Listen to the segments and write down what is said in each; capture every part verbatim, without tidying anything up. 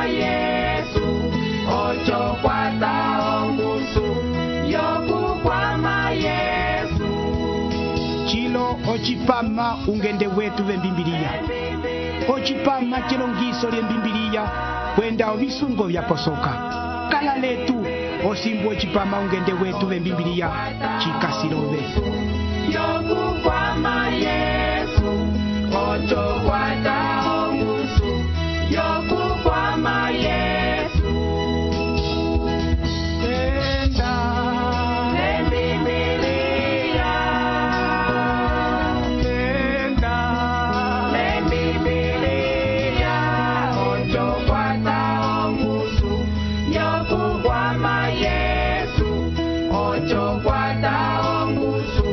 Yesu, ocho kwata ongusu, yoku kwama Yesu. Chilo ochipama ungende wetu vembimbilia. Ochipama chilongiso lye mbimbilia, kwenda ovisungo vya posoka. Kala letu, osimbu ochipama ungende wetu vembimbilia, chikasilove. Yoku kwama Yesu, ocho kwata ongusu, yoku kwama Yesu. Enda, Lembibilia, enda, Lembibilia, ocho kwata ongusu, yoku kwama Yesu, ocho kwata ongusu,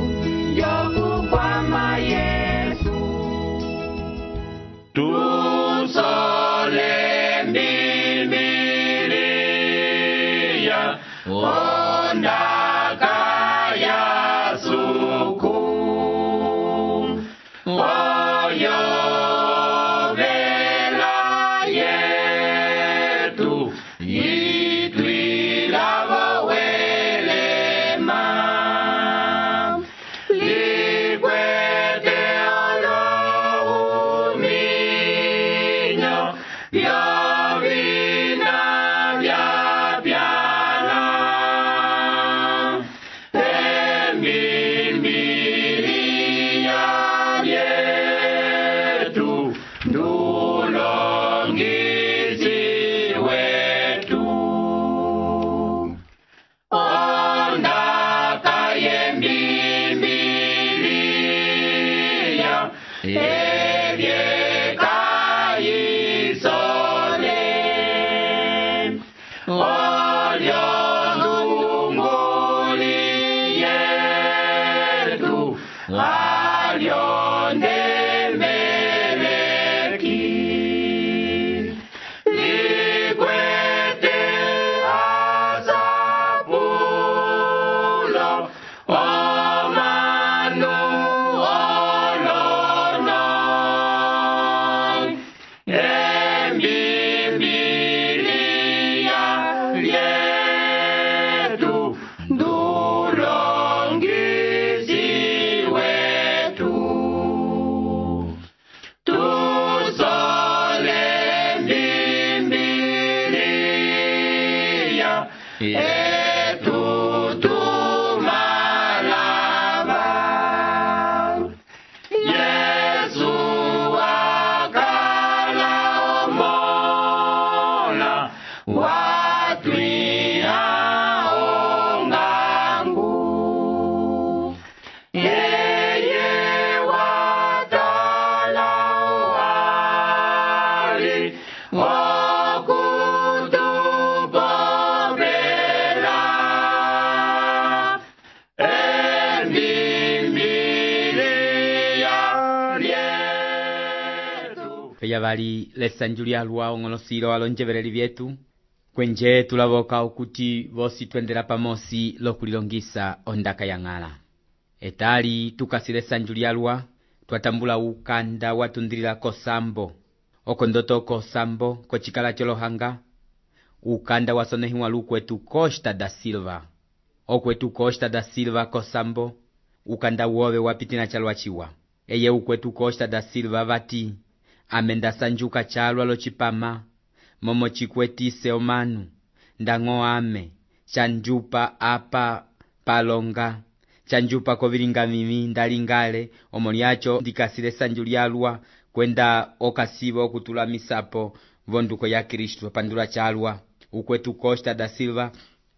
yoku kwama Yesu. Tusole Bibilia, ondaka ya suku, oyo vela yetu, itwila welema, likwete olohuminyo, vyovina vya pyala, embimbilia yetu, ndulongisi wetu. Ondaka yembimbilia, ebyeka isole, olyo ndunguli yetu, alyo ndemeleki, likwete asapulo, omanu olono, embimbilia yetu, ndulongisi wetu. Tusole Bibilia, etutumalava. Yesu akala omola, watwiha ongangu. Yeye watala wali, okutupopela, embimbilia yetu. Peya bali lesanju lyalwa ong'onosilo alonjebereri byetu kwenje tulaboka okuti bosi twendela pamosi lokulilongisa ondaka ya ng'ala. Etali tukasile sanju lyalwa twatambula ukanda watundilila kosambo okondoto kosambo kochikala cholohanga ukanda wasonehiwa lukwetu Costa da Silva okwetu Costa da Silva kosambo ukanda wobe wapitina chalwa chiwa eye ukwetu Costa da Silva vati amenda sanjuka chalwa lochipama momo chikwetise omanu ndango ame chanjupa apa palonga chanjupa koviringa mimi ndalingale omoliacho ndikasile sanju lyalwa kwenda okasibo okutula misapo vonduko ya Kristo pandula chalwa ukwetu Costa da Silva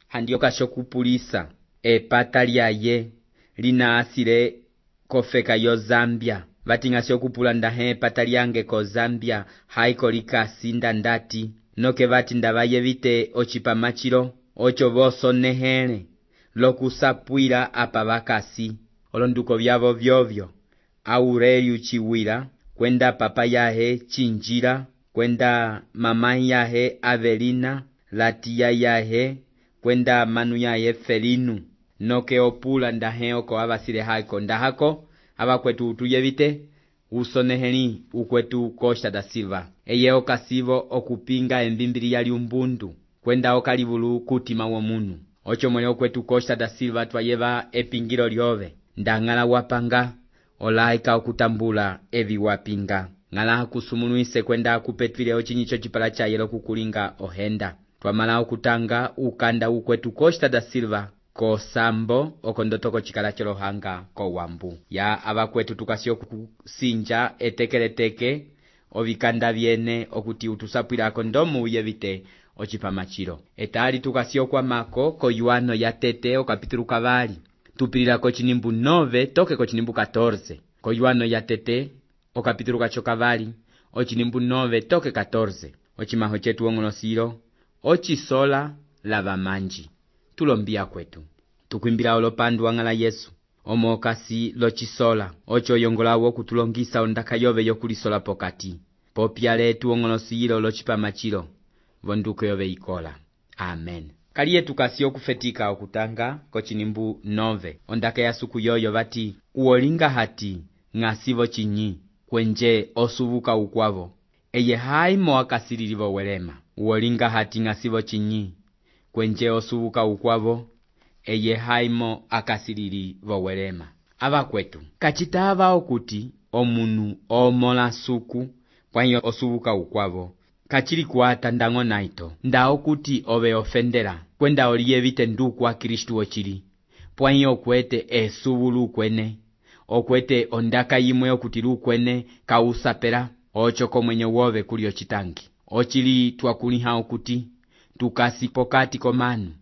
handi okashokupulisa epata lyaye lina asile kofeka yo Zambia vatingasi okupula ndahe epata lyange ko Zambia haiko likasinda ndati noke vati ndavaye vite ochipamachilo ocho vosonehele lokusapwila apa vakasi olonduko vyavo vyovyo Aurelio chiwila kwenda papa yahe Chinjira kwenda mama yahe Avelina latia yahe kwenda manu yahe Felinu noke opula ndahe oko avasile haiko ndahako abakwetu utuyevite usoneheli ukwetu Costa da Silva eye okasivo okupinga embimbiliya lyumbundu kwenda okalivulu kutima womunu. Ocho mwene okwetu Costa da Silva twayeva epingilo lyove ndang'ala wapanga olaika okutambula evi wapinga ng'ala kusumunuise kwenda kupetwile ochinyicho chipala cha yelo kukulinga ohenda. Twamala okutanga ukanda ukwetu Costa da Silva ko sambo okondotoko chikala chelohanga ko wambu ya abakwetu tukasio kusinja etekeleteke ovikanda vyene okuti utusapwila kondomu uyevite ochipamachiro. Etali tukasio kwa mako ko yuano ya tete okapitulu kavali tupilila ko chinimbu nove toke ko chinimbu katorze ko yuano ya tete okapitulu kacho kavali ochinimbu nove toke katorze ochimaho chetu ong'onosilo ochisola lava manji tulombia kwetu tukwimbila olopandu wang'ala Yesu omokasi lochisola ocho yongolawo kutulongisa ondaka yove yokulisola pokati popya letu ong'onosilo lochipamachilo vonduko yove ikola. Amen. Kaliye tukasio kufetika okutanga kochinimbu nove ondaka ya suku yoyo vati uolinga hati ng'asivo chinyi kwenje osuvuka ukwavo eye haimo akasililivo welema. Uolinga hati ng'asivo chinyi kwenje osuvuka ukwavo eye haimo akasilili vowelema. Ava kwetu kachitava okuti omunu omola suku pwanyo osuvuka ukwavo kachili kuata ndango naito nda okuti ove ofendera kwenda oliyevite nduku wa Kristu ochili pwanyo okwete esuvulu kwene okwete ondaka yimwe okuti lukwene kausapela ochoko mwenye wove kuli ochitangi ochili twakuliha okuti tukasi pokati komanu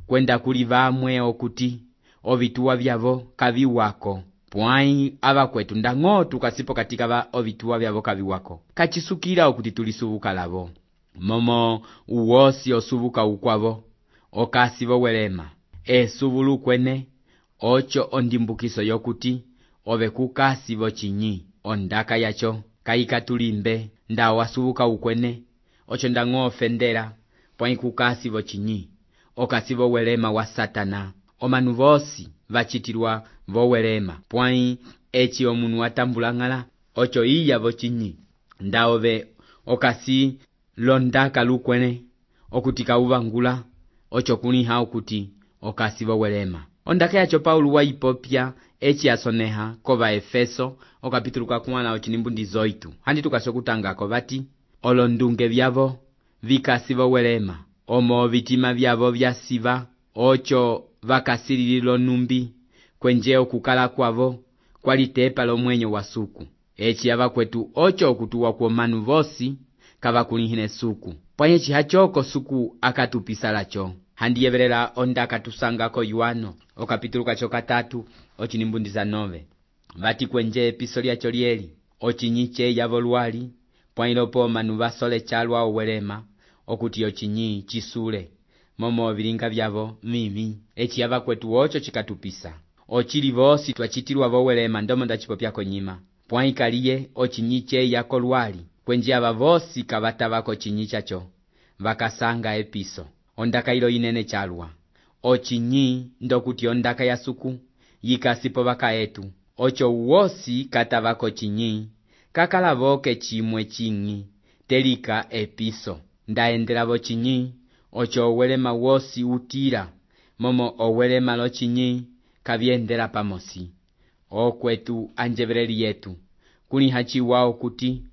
kwenda kuli vamwe okuti ovituwa vyavo kaviwako pwai ava kwetu ndang'o tukasipo katika va ovituwa vyavo kaviwako kachisukila okuti tulisuvuka lavo momo uwosi osuvuka ukwavo okasivo welema esuvulu kwene ocho ondimbukiso yokuti ove kukasivo chinyi ondaka yacho kaikatulimbe nda wasuvuka ukwene ocho ndang'o ofendera pwai kukasivo chinyi okasivo welema wa Satana omanu vosi vachitilwa vowelema pwai echi omunu watambulang'ala ocho iya vochinyi nda ove okasi londaka lukwene okuti kauvangula ocho kuliha okuti okasi vowelema. Ondaka yacho Paulo waipopya echi asoneha kova Efeso okapitulu kakumana ochinimbu ndizoitu handi tukasio kutangako vati olondunge vyavo vikasi vowelema omo vitima vyavo vyasiva ocho vakasilililo numbi kwenje okukala kwavo kwalitepa lomwenyo wa suku echi ava kwetu ocho okutuwa kwa manu vosi kavakulihine suku pwaye chihachoko suku akatupisalacho handiyevelela ondaka tusangako yuano okapitulu kacho katatu ochinimbu nove vati kwenje episo lyacho lyeli ochinyiche yavo lwali pwailopo manu vasole chalwa owelema okuti ochinyi chisule momo vilinga vyavo mimi echi ava kwetu ocho chikatupisa ochili vosi twachitilwa vowelema ndomo ndachipopyako nyima pwai kaliye ochinyiche yako lwali kwenje ava vosi kavatavako chinyi chacho vakasanga episo ondaka ilo inene chalwa ochinyi ndokuti ondaka ya suku yikasipo vaka etu ocho uwosi katavako chinyi kakalavoke chimwe chinyi telika episo ndaendelavo chinyi ocho owelema wosi utira momo owelema lo chinyi kavyendela pamosi okwetu anjeveleli yetu kuliha chiwao kuti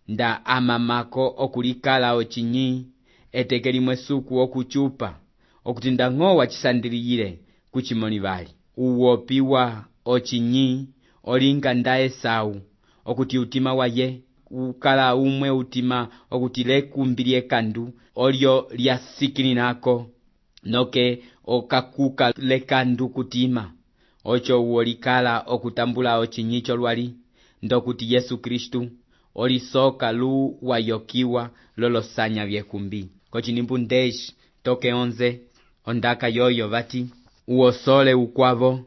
nda amamako okulikala ochinyi etekelimwe suku okuchupa okuti ndang'o wachisandiliyile kuchimoni vali uwopiwa ochinyi olinga nda Esau okuti utima waye ukala umwe utima okuti lekumbilie kandu olyo lyasikilinako noke okakuka lekandu kutima ocho uolikala okutambula ochinyicho lwali ndokuti Yesu Kristu olisoka lu wayokiwa lolosanya vyekumbi kochinimbu ndeshi toke onze ondaka yoyo vati uosole ukwavo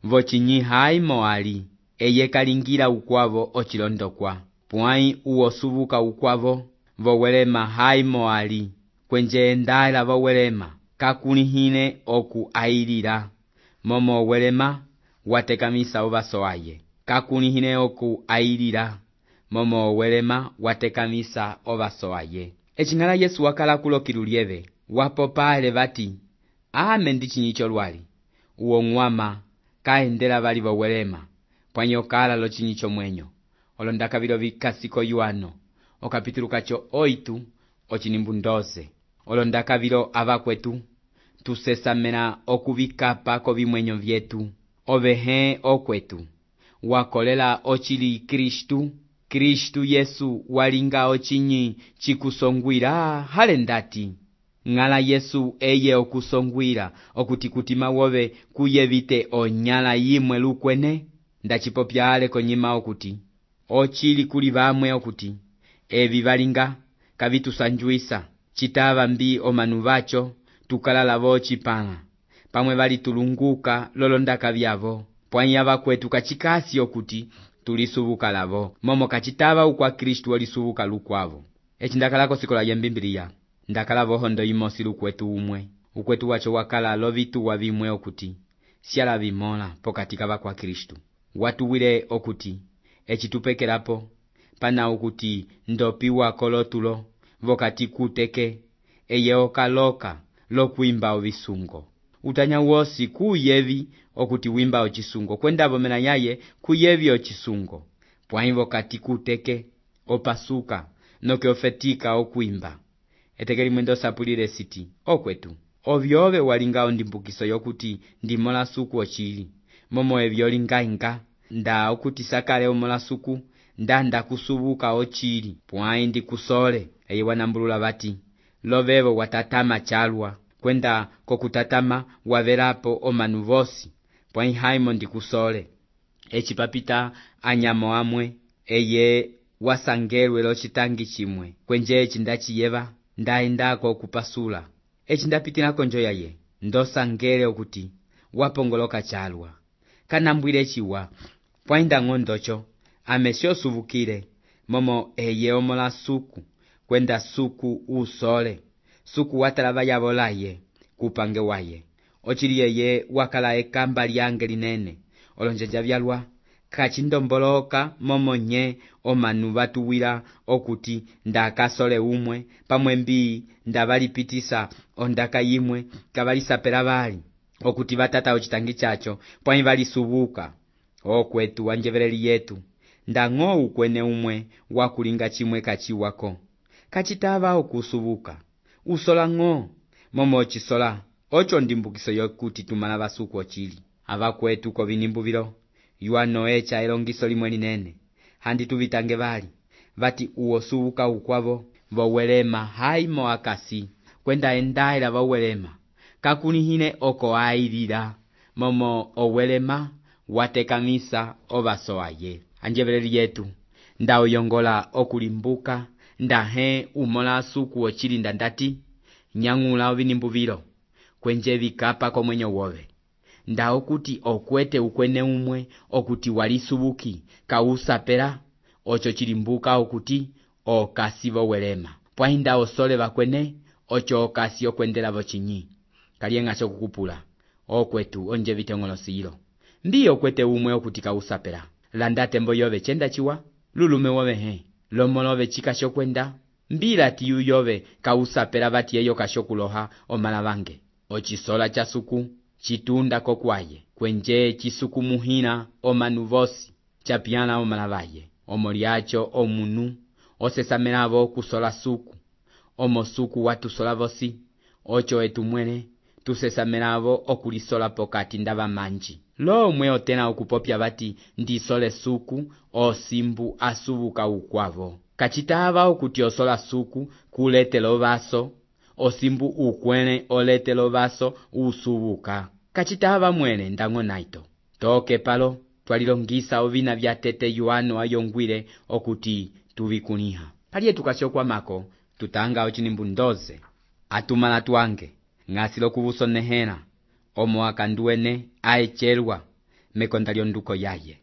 vochinyi haimo ali eye kalingila ukwavo ochilondokwa pwai uosuvuka ukwavo vowelema haimo ali kwenje endala vowelema kakulihine oku ailila momo welema watekamisa uvaso aye kakulihine oku ailila momo owelema watekamisa ovaso aye. Ecing'ala Yesu wakala kulokila ulyeve wapopale vati ame ndi cinyicho lwali uwo ng'wama kaendela vali vowelema pwanyo kala lo cinyicho mwenyo olondaka vilo vikasiko yuano okapitulukacho oitu ocinimbu ndoze olondaka vilo avakwetu tusesamena okuvikapa kovimwenyo vyetu ovehe okwetu wakolela ocili Kristu Kristu Yesu walinga ocinyi cikusongwila hale ndati ng'ala Yesu eye okusongwila okuti kutima wove kuyevite onyala yimwe lukwene ndacipopya ale konyima okuti ocili kuli vamwe okuti evi valinga kavitusanjuisa citava mbi omanu vacho tukalala vocipala pamwe valitulunguka lolondaka vyavo pwanya vakwetu kacikasi okuti tulisubuka lavo momo kacitava ukwa Kristu olisubuka lukwavo. Eci ndakalako sikola ya mbimbiliya ndakala vohondo imosi lukwetu umwe ukwetu wacho wakala lovituwa vimwe okuti siala vimola pokati kava kwa Kristu watuwile okuti eci tupekelapo pana ukuti ndopiwa kolotulo vokati kuteke eye okaloka lokwimba ovisungo utanya wosi kuyevi okuti wimba ocisungo kwenda vomena yaye kuyevi ocisungo pwaivo kati kuteke opasuka noke ofetika okwimba etekeli mwendo sapulile siti okwetu ovyove walinga ondimbukiso yokuti ndimola suku ocili momo evyo lingainga nda okuti sakale omola suku nda ndakusubuka ocili pwai ndi kusole eye wanambulula vati lovevo watatama chalwa kwenda kokutatama wavelapo omanu vosi pwai haimo ndi kusole eci papita anyamo amwe eye wasangelwe lo citangi chimwe kwenje eci ndaciyeva ndaendako kupasula eci ndapitilako njo yaye ndosangele okuti wapongoloka chalwa kanambwile ciwa pwainda ng'ondocho amesio suvukile momo eye omola suku kwenda suku usole suku watalava yavolaye kupange waye ocili yeye wakala ekamba lyange linene olonjanja vyalwa kacindomboloka momo nye omanu vatuwila okuti ndakasole umwe pamwe mbii ndavalipitisa ondaka yimwe kavalisapela vali okuti vatata ocitangi chacho pwai valisubuka okwetu wanjeveleli yetu ndang'o ukwene umwe wakulinga chimwe kachiwako kacitava okusubuka usola ng'o momo ocisola ocho ndimbukiso yokuti tumala vasuku ocili avakwetu kovinimbu vilo yuano echa elongiso limwe linene handi tuvitange vali vati uosubuka ukwavo vowelema haimo akasi kwenda endaela vowelema kakunihine oko ailila momo owelema watekamisa ovaso aye anjeveleli yetu ndauyongola okulimbuka ndahe umola suku ocili ndandati nyang'ula ovinimbu vilo kwenje vikapa komwenyo wove nda okuti okwete ukwene umwe okuti walisubuki kausapela ocho chilimbuka okuti okasi vowelema pwainda osole vakwene ocho okasi okwendela vochinyi kalienga chokukupula okwetu onje vitongolosilo mbi okwete umwe okuti kausapela landate mbo yove chenda chiwa lulume wove he lomolove chika shokwenda mbila tiyu yove kausapela vati eyo kashokuloha omala vange ochisola cha suku chitunda kokwaye kwenje chisuku muhina omanu vosi chapiana omala vaye omoliacho omunu osesamelavo kusola suku omo suku watusola vosi ocho etumwene tusesamelavo okulisola pokati ndava manji lo mwe otena okupopya vati ndisole suku osimbu asubuka ukwavo kachitava okuti osola suku kuletelo vaso osimbu ukwene oletelo vaso usubuka kachitava mwene ndang'o naito toke palo twalilongisa ovina vya tete yuano ayongwile okuti tuvikuniha paliye tukashokwamako tutanga ochinimbu ndoze atumala twange ng'asilo kuvusonehela omo akanduene aechelwa mekonda lyonduko yaye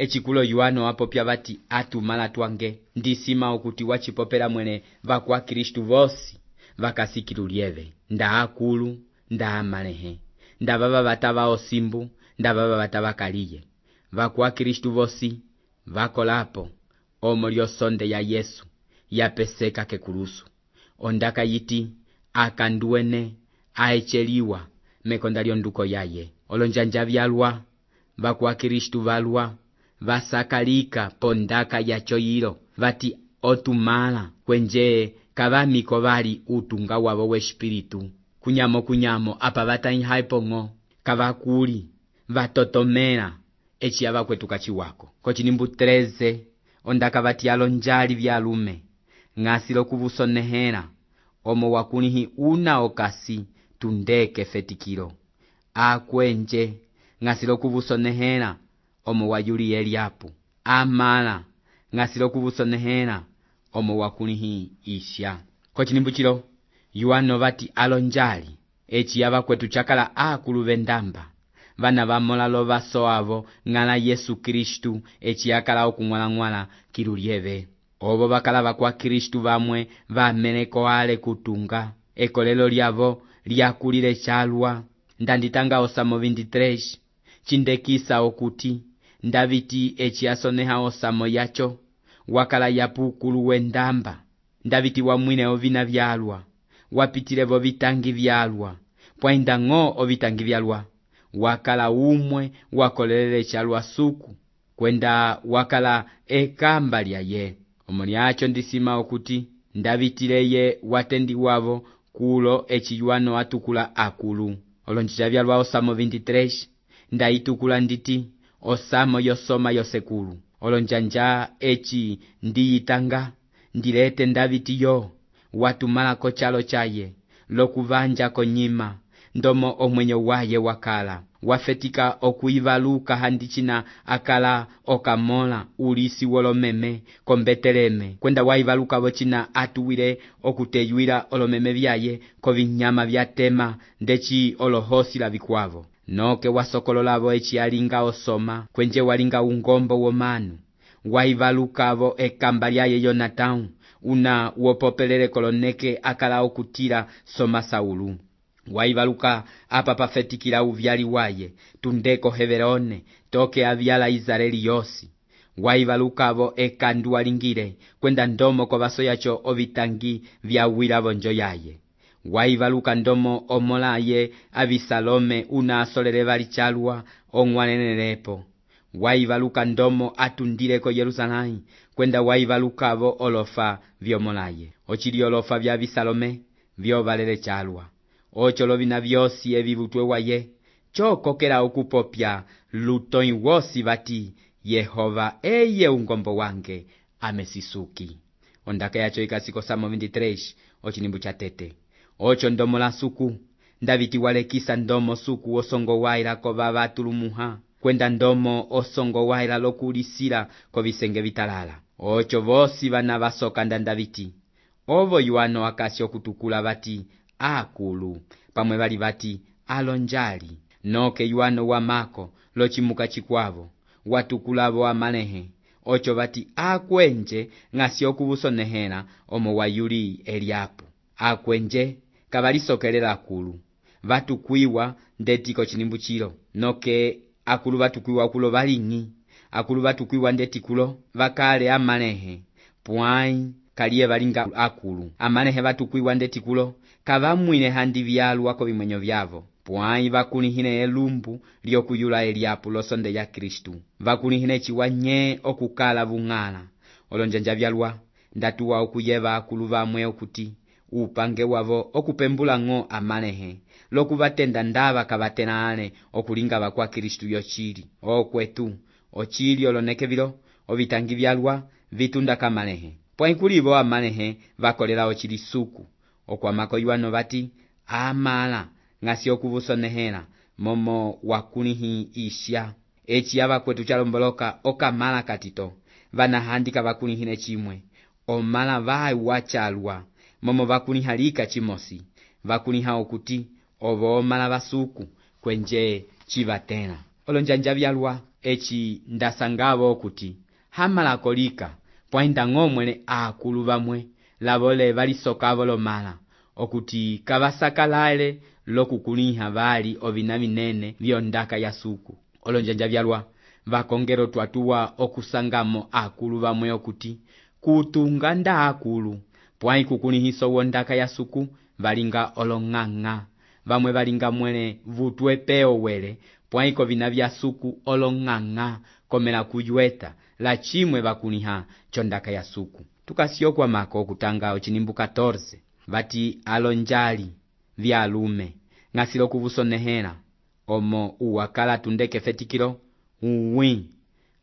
echikulo yuano apopya vati atumala twange ndisima okuti wachipopela mwene vakwa Kristu vosi vakasikilu lyeve nda akulu nda amalehe nda vava vatava osimbu nda vava vatava kaliye vakwa Kristu vosi vakolapo omo lyosonde ya Yesu yapeseka kekulusu. Ondaka yiti akanduene aecheliwa mekonda lyonduko yaye. Olonjanja vyalwa vakwa Kristu valwa vasakalika pondaka yacho yilo vati otumala kwenje kavamiko vali utunga wavo weshipiritu. Kunyamo kunyamo apa vatanyihaipongo kavakuli vatotomela echi yava kwetuka chiwako. Kochinimbu treze ondaka vati alonjali vyalume ng'asilo kuvusonehela omo wakunihi una okasi tundeke fetikilo. Akwenje ng'asilo kuvusonehela omo wayuli Eliapu. Amala ng'asilo kuvusonehela omo wakunihi Isha. Kochinimbu chilo yuano vati alonjali echi yava kwetu chakala akulu vendamba vana vamolalo vaso avo ng'ala Yesu Kristu echi yakala okung'wala-ng'wala kilulieve. Ovo vakala vakwa Kristu vamwe vameleko ale kutunga ekolelo lyavo lyakulile chalwa. Ndanditanga osamo veintitrés chindekisa okuti ndaviti echi yasoneha osamo yacho wakala yapukulu wendamba. Ndaviti wamwine ovina vyalwa wapitilevo vitangi vyalwa pwainda ng'o ovitangi vyalwa wakala umwe wakolelele chalwa suku kwenda wakala ekamba lyaye. Omoni acho ndisima okuti ndavitileye watendi wavo kulo echi yuano atukula akulu. Olonjija vyalwa osamo veintitrés ndaitukula nditi osamo yosoma yosekulu. Olonjanja echi ndiyitanga ndilete ndaviti yo watumala ko chalo chaye lokuvanja konyima ndomo omwenyo waye wakala wafetika okuivaluka handichina akala okamola ulisi wolomeme kombeteleme kwenda waivaluka vochina atuwile okuteyuila olomeme vyaye kovinyama vyatema ndechi olohosi la vikwavo. Noke wasokololavo echi alinga osoma kwenje walinga ungombo womanu waivalukavo ekamba lyaye Yonatau una wopopelele koloneke akala okutila soma Saulu. Waivaluka apa pafetikila uvyali waye tundeko Heberone toke avyala Israeli yosi. Waivalukavo ekandu walingile kwenda ndomo kwa vaso yacho ovitangi vyawila vonjo yaye. Waivaluka ndomo omolaye Abisalome una asolele vali chalwa ong'wanenelepo. Waivaluka ndomo atundileko Yerusalemu kwenda waivalukavo olofa vyomolaye. Ochili olofa vya Abisalome vyovalele chalwa. Ocho lovina vyosi evivutwe waye chokokela okupopya lutoi wosi vati Yehova eye ungombo wange amesisuki. Ondaka yacho ikasiko samo veintitrés ochinimbu cha tete. Ocho ndomo la suku ndaviti walekisa ndomo suku osongo waila kova vatulumuha kwenda ndomo osongo waila lokulisila kovisenge vitalala. Ocho vosi vana vasoka ndandaviti ovo yuano akasi okutukula vati akulu pamwe vali vati alonjali. Noke yuano wamako lochimuka chikwavo watukulavo amalehe ocho vati akwenje ng'asi okuvusonehela omo wayuli Eliapu. Akwenje kavalisokelela akulu vatukwiwa ndetiko chinimbu chilo. Noke akulu vatukwiwa kulo valing'i akulu vatukwiwa ndetikulo vakale amalehe pwai kaliye valinga akulu. Amalehe vatukwiwa ndetikulo kavamwine handi vyalwa ko vimwenyo vyavo pwai vakunihine elumbu lyokuyula Eliapu losonde ya Kristu. Vakunihine chiwanye okukala vung'ala. Olonjanja vyalwa ndatuwa okuyeva akulu vamwe okuti upange wavo okupembula ng'o amalehe lokuvatenda ndava kavatenale okulinga vakwa Kristu yochili. Okwetu ochili oloneke vilo ovitangi vyalwa vitunda kamalehe pwai kulivo amalehe vakolela ochili suku okwamako yuano vati amala ng'asi okuvusonehela momo wakunihi Isha. Echi yava kwetu chalomboloka okamala katito vana handika vakunihine chimwe omala vai wachalwa momo vakunihalika chimosi vakuniha okuti ovo omala vasuku kwenje chivatela. Olonjanja vyalwa echi ndasangavo okuti hamala kolika pwainda ng'omwene akulu vamwe lavole valisokavo lomala okuti kavasakalale lokukuniha vali ovina vinene vyondaka ya suku. Olonjanja vyalwa vakongero twatuwa okusangamo akulu vamwe okuti kutunga nda akulu pwai kukulihiso wondaka ya suku valinga olong'ang'a vamwe valinga mwele vutwe peo wele pwai kovina vya suku olong'ang'a komela kuyueta la chimwe vakuliha chondaka ya suku. Tukasio kwa mako kutanga ochinimbu catorze vati alonjali vya alume ngasilo kuvusonehela omo uwakala tundeke fetikilo uwi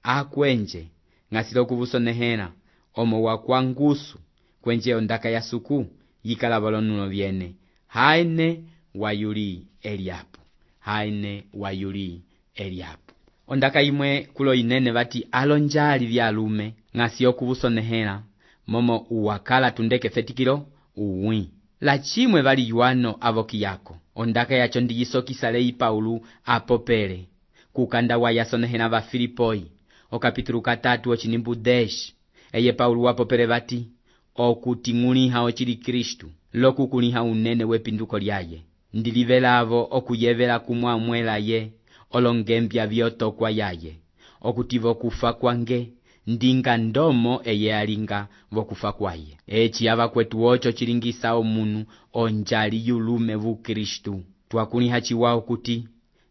akwenje ngasilo kuvusonehela omo wakwangusu kwenje ondaka ya suku yikala balonulo vyene haine wayuli Eliapu haine wayuli Eliapu. Ondaka imwe kulo inene vati alonjali vya alume ngasio kuvusonehela momo uwakala tundeke fetikilo uwi la chimwe vali yuano avoki yako ondaka yacho ndiyisokisa lei Paulu apopele kukanda wa yasonehela va Filipoi okapitulu katatu ochinimbu desh eye Paulu wapopele vati okuting'uliha ochili Kristu lokukuliha unene wepinduko lyaye ndilivelavo okuyevela kumwamwela ye olongembya vyotokwa yaye okutivo kufa kwange ndinga ndomo eye alinga vokufa kwaye echi ava kwetu ocho chilingisa omunu onjali yulume vu Kristu twakuliha chiwao kuti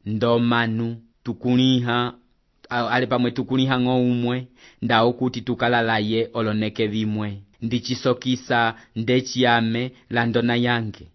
ndomanu tukuliha ale pamwe tukuliha ng'oumwe ndao kuti tukalalaye oloneke vimwe ndichisokisa ndechiyame la ndona yange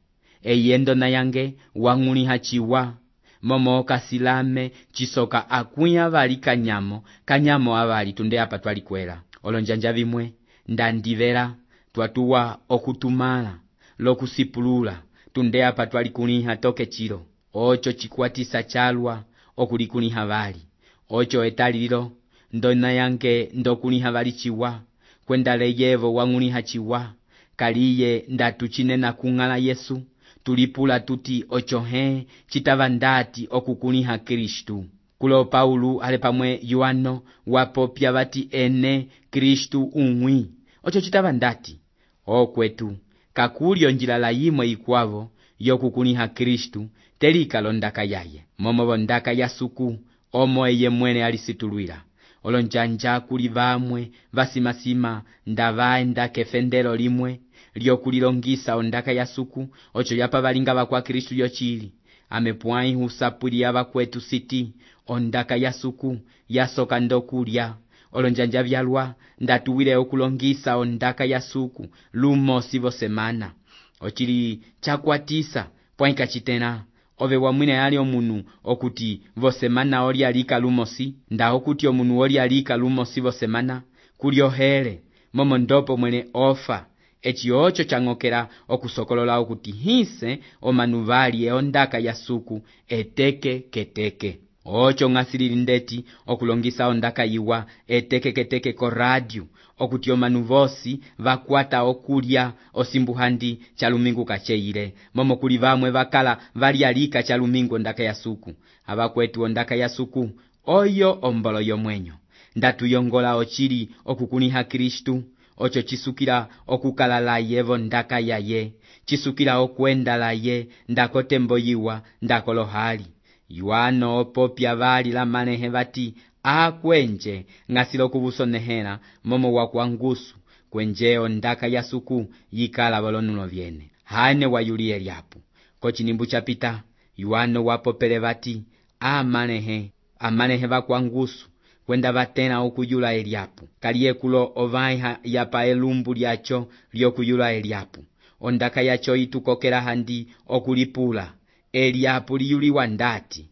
eye ndona yange wang'uliha chiwa momo kasilame chisoka akuya vali kanyamo kanyamo avali tunde apa twalikwela olonjanja vimwe ndandivela twatuwa okutumala lokusipulula tunde apa twalikuliha toke chilo ocho chikwatisa chalwa okulikuliha vali ocho etalilo ndona yange ndokuliha vali chiwa kwenda leyevo wang'uliha chiwa kaliye ndatuchinena kung'ala Yesu tulipula tuti ocho he chitava ndati okukuliha Kristu. Kulo Paulu ale pamwe Yohano wapopya vati ene Kristu umwi ocho chitava ndati okwetu kakulyo njila la yimwe ikwavo yokukuliha Kristu telika londaka yaye momo bondaka ya suku omo eye mwene alisitulwila olonjanja kuli vamwe vasimasima ndavaenda kefendelo limwe lyokulilongisa ondaka ya suku ocho yapa valinga vakwa Kristu yochili amepwai husapulia vakwetu siti ondaka ya suku yasoka ndokulya olonjanja vyalwa ndatuwile okulongisa ondaka ya suku lumo sivo semana ochili chakwatisa pwaika chitena ove wamwine ali omunu okuti vosemana oli alika lumosi nda okuti omunu oli alika lumosi vosemana kulyohele momo ndopo mwene ofa echi ocho chang'okela okusokolola okuti hise omanuvali eondaka ya suku eteke keteke ocho ng'asilili ndeti okulongisa ondaka yiwa eteke keteke ko radio okuti omanu vosi vakwata okulya osimbuhandi chalumingu kacheile momo kuli vamwe vakala vali alika chalumingu ondaka ya suku avakwetu ondaka ya suku oyo ombolo yomwenyo ndatuyongola ochili okukuliha Kristu ocho chisukila okukala laye vondaka yaye chisukila okwenda laye ndakotembo yiwa ndakolohali Yohano opopya vali la manehe vati akwenje ngasilo kuvusonehela momo wakwangusu kwenje ondaka ya suku yikala balonulo vyene haine wayuli Eliapu kochinimbu chapita Yohano wapopele vati amanehe amanehe vakwangusu kwenda vatena okuyula Eliapu kaliye kulo ovaiha yapa elumbu lyacho lyokuyula Eliapu ondaka yacho itukokela handi okulipula Eliapu liyuliwa ndati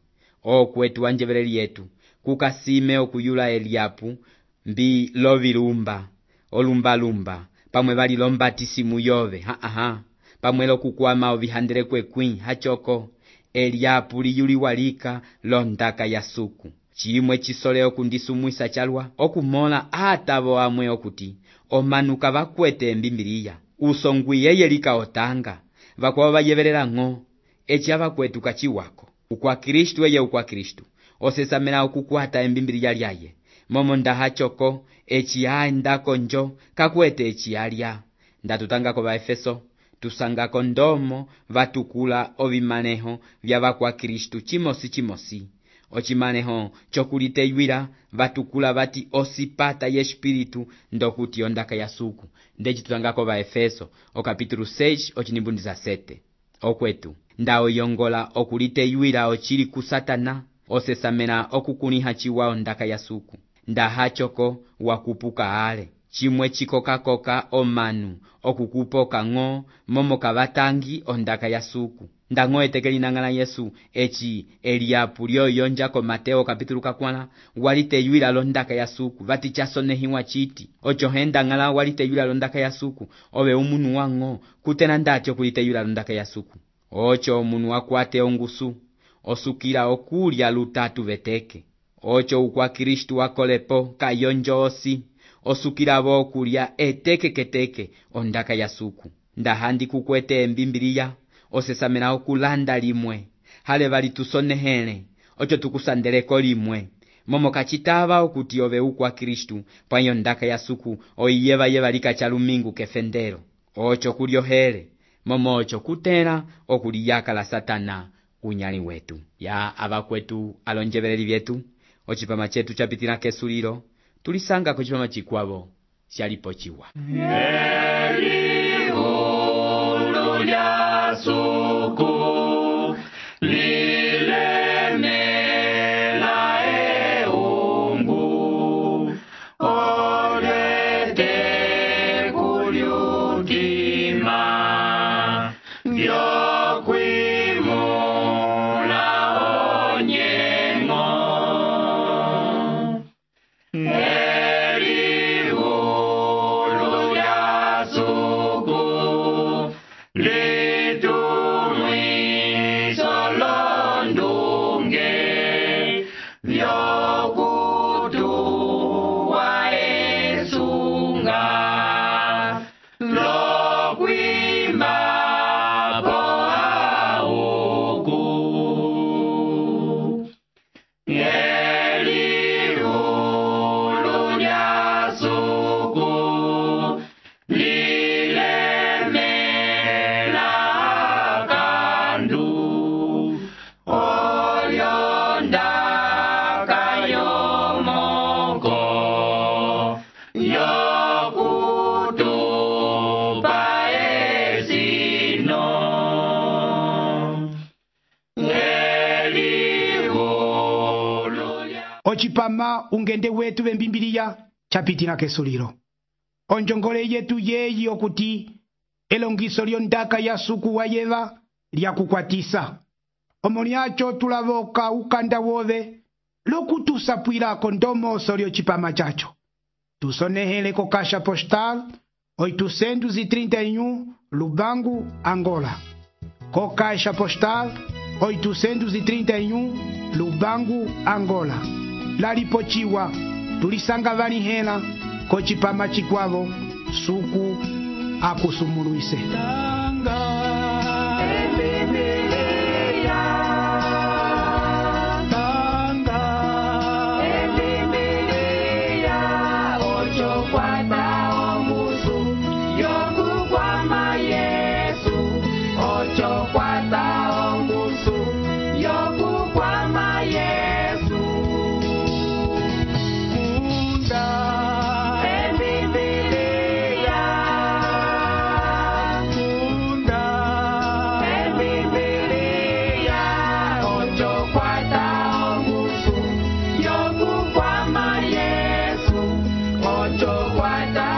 okwetu wanjebeleli yetu kukasime okuyula Eliapu mbi lovilumba olumbalumba pamwe vali lombatisimu yove ha aha pamwe lokukwama ovihandele kwekwi hachoko Eliapu liyuliwa lika londaka ya suku chilimwe chisole okundisumwisa chalwa okumola atavo amwe okuti omanuka vakwete mbimbiliya usongwi yeye lika otanga vakwava vayevelela ng'o echi avakwetu kachiwako ukwa Kristu eye ukwa Kristu osesamela okukwata embimbiliya lyaye momo ndahachoko echi aendako njo kakwete echi alya ndatutangako va Efeso tusangako ndomo vatukula ovimaneho vya vakwa Kristu chimosi chimosi ocimaneho cokuliteywila vatukula vati osipata ye espiritu ndokuti ondaka ya suku. Ndeci tutangako va Efeso o capítulo seis ocinimbu dezasete. Okwetu nda oyongola okuliteywila ocili ku Satana osesamena okukuniha ciwa ondaka ya suku. Nda hachoko wakupuka ale chimwe chikoka-koka omanu okukupoka ng'o momo kavatangi ondaka ya suku. Nda ng'o etekeli nang'ala Yesu eci eliapu lyoyonjako Mateo capítulo kakwala waliteywila londaka ya suku vati chasonehiwa chiti ocho henda ng'ala waliteywila londaka ya suku ove umunu wa ng'o kutena ndati okuliteywila londaka ya suku. Ocho omunu wakwate ongusu osukila okulya lutatu veteke. Ocho ukwa Kristu wakolepo kayonjo osi osukila vo okulya eteke keteke ondaka ya suku. Ndahandi kukwete embimbiliya osesamena okulanda limwe hale vali tusonehele ocho tukusandeleko limwe momo kachitava okuti ove ukwa Kristu pwayo ndaka ya suku oiyeva yeva lika chalumingu kefendero. Ocho kuliohele momo ocho kutela okuliyaka la Satana unyali wetu. Ya avakwetu alonjeveleli vyetu ocipama chetu chapitila kesulilo tulisanga ko cipama chikwavo syalipo ciwa. Elihulu lya suku lilemela eungu olete kulyutima vyokwimula onyengo. Elihulu lya suku litumwiso londunge vyokutuwa esunga lokwima po auku. Elihulu lya suku lilemela kandu olyondaka yomoko yokutupa esino. Elihulu lya ocipama ungende wetu vembimbiliya chapitila kesulilo. Onjongole yetu yeyi okuti elongiso lyondaka ya suku wa yeva lyakukwatisa omo lyacho tulavoka ukanda wove lokutusapwilako ndomoso lyocipama chacho. Tusonehele ko Caixa Postal oitocentos e trinta e um Lubango, Angola. Co Caixa Postal oitocentos e trinta e um Lubango, Angola. Lalipochiwa tulisanga valihela ko cipama chikwavo suku akusumuluise. Ocho cuarta